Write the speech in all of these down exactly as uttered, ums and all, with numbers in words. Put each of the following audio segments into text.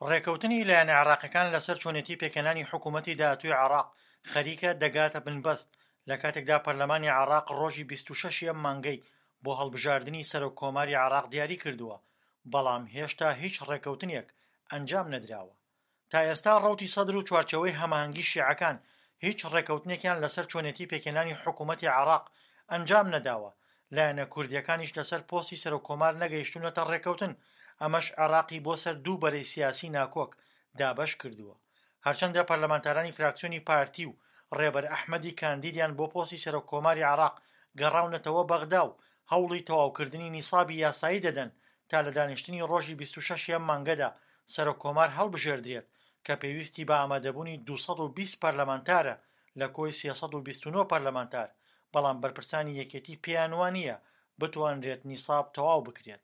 ڕێکەوتنی لایەنە عێراقیەکان لەسەر چۆنێتی پێکهێنانی حکوومەتی داهاتووی عێراق خەریکە دەگاتە بنبەست، لە کاتێکدا پەرلەمانی عێراق ڕۆژی بیست و شەش ی ئەم مانگەی بۆ هەڵبژاردنی سەرۆک کۆماری عێراق دیاری کردووە، بەڵام هێشتا هیچ ڕێکەوتنێک ئەنجام نەدراوە. تا ئێستا ڕەوتی سەدر و چوارچێوەی هەماهەنگی شیعەکان هیچ ڕێکەوتنێکیان لەسەر چۆنێتی پێکهێنانی حکوومەتی عێراق ئەنجام نەداوە، لایەنە کوردییەکانیش لەسەر پۆستی سەرۆک کۆمار نەگەیشتوونەتە ڕێکەوتن، ئەمەش عێراقی بۆ سەر دوو بەرەی سیاسی ناکۆک دابەش کردووە. هەرچەندە پەرلەمانتارانی فراکسیۆنی پارتی و ڕێبەر ئەحمەدی کاندیدیان بۆ پۆستی سەرۆک کۆماری عێراق گەڕاونەتەوە بەغدا و هەوڵی تەواوکردنی نیسابی یاسایی دەدەن تا لە دانیشتنی ڕۆژی بیست و شەش ی ئەم مانگەدا سەرۆک کۆمار هەڵبژێردرێت کە پێویستی بە ئامادەبوونی دوو سەد و بیست پەرلەمانتارە لە کۆی سێ سەد و بیست و نۆ پەرلەمانتار، بەڵام بەرپرسانی یەکێتی پێیان وانییە بتوانرێت نیساب تەواو بکرێت.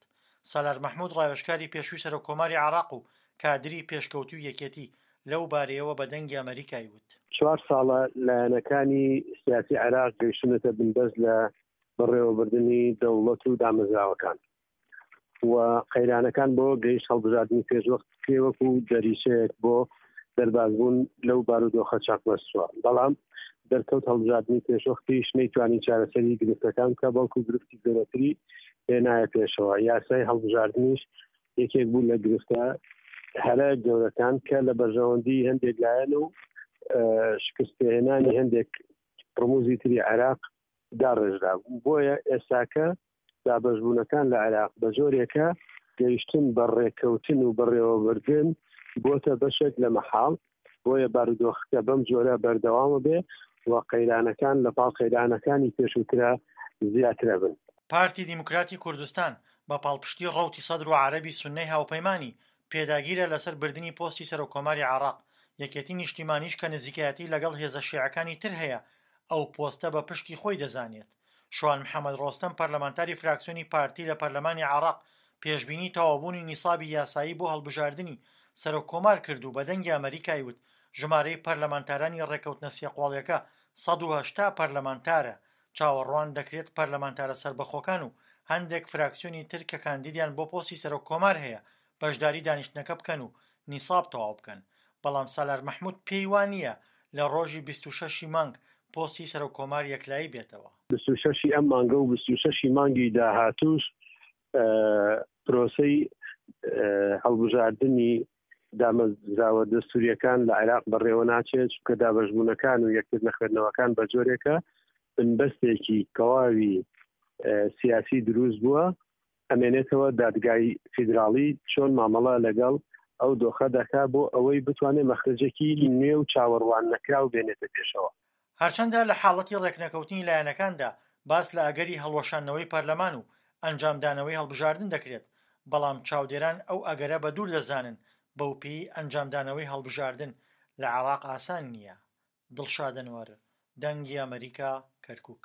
سالار مەحمود ڕاوێژکاری پێشووی سەرۆک کۆماری عێراق و کادری پێشکەوتووی یەکێتی لەو بارەیەوە بە دەنگی ئەمەریکای وت. چوار ساڵە لایەنەکانی سیاسی عێراق گەیشتوونەتە بنبەست لە بەڕێوەبردنی دەوڵەت و دامەزراوەکان و قەیرانەکان بۆ گەیشت هەڵبژاردنی پێشوەخت بکرێ وەکو دەریچەیەک بۆ دەربازبوون لەو بارودۆخە چەقبەستووە، بەڵام دەرکەوت هەڵبژاردنی پێشوەختیش نەیتوانی چارەسەری گرفتەکان بکە، بەڵکو گرفتی گەورەتری هێنایە پێشەوە. یاسای هەڵبژاردنیش یەکێک بوو لە گرفتە هەرە گەورەکان کە لە بەرژەوەندی هەندێک لایەن و شکستپێهێنانی هەندێک ڕموزی تری عێراق داڕێژرا بوو. بۆیە ئێستاکە دابەشبوونەکان لە عێراق بە جۆرێکە گەیشتن بە ڕێککەوتن و بەڕێوەبردن بۆتە بەشێک لە مەحاڵ، بۆیە بارودۆخەکە بەم جۆرە بەردەوامە بێ و قەیرانەکان لە پاڵ قەیرانەکانی پێشووترا زیاترە بن. پارتی دیموکراتی کوردستان بە پاڵپشتی ڕەوتی سەدر و عەرەبی سوننەی هاوپەیمانی، پێداگیرە لەسەر بردنی پۆستی سەرۆککۆماری عێراق، یەکێتی نیشتیمانیش کە نزیکایەتی لەگەڵ هێزە شیعەکانی تر هەیە، ئەو پۆستە بە پشکی خۆی دەزانێت. شوان محەمەد ڕۆستەم پەرلەمانتاری فراکسیۆنی پارتی لە پەرلەمانی عێراق پێشبینی تەواوبوونی نیسابی یاسایی بۆ هەڵبژاردنی سەرۆک کۆمار کرد و بە دەنگی ئەمەریکای وت ژمارەی پەرلەمانتارانی ڕێککەوتنە سێقۆڵیەکە سەد و هەشتا پەرلەمانتارە، چاوەڕوان دەکرێت پەرلەمانتارە سەربەخۆکان و هەندێک فراکسیۆنی تر کە کاندیدیان بۆ پۆستی سەرۆک کۆمار هەیە بەشداری دانیشتنەکە بکەن و نیساب تەواو بکەن، بەڵام سالار مەحمود پێی وانییە لە ڕۆژی بیست و شەش ی مانگ پۆستی سەرۆک کۆمار یەکلایی بێتەوە. بیست و شەش ی ئەم مانگە و بیست و شەش ی مانگی داهاتووش پرۆسەی هەڵبژاردنی دامەزراوە دەستوریەکان لە عێراق بەڕێوە ناچێت، چونکە دابەشبوونەکان و یەکتر نەخوێندنەوەکان بە جۆرێکە بنبەستێکی تەواوی سیاسی دروست بووە، ئەمێنێتەوە دادگای فیدراڵی چۆن مامەڵە لەگەڵ ئەو دۆخە دەکا بۆ ئەوەی بتوانێت مەخرەجێکی نوێ و چاوەڕوان نەکراو بێنێتە پێشەوە. هەرچەندە لە حاڵەتی ڕێکنەکەوتنی لایەنەکاندا باس لە ئەگەری هەڵوەشاندنەوەی پەرلەمان و ئەنجامدانەوەی هەڵبژاردن دەکرێت، بەڵام چاودێران ئەو ئەگەرە بە دوور دەزانن، بەوپێیەی ئەنجامدانەوەی هەڵبژاردن لە عێراق ئاسان نییە. دڵشاد ئەنوەر، دەنگی ئەمەریکا، کەرکوک.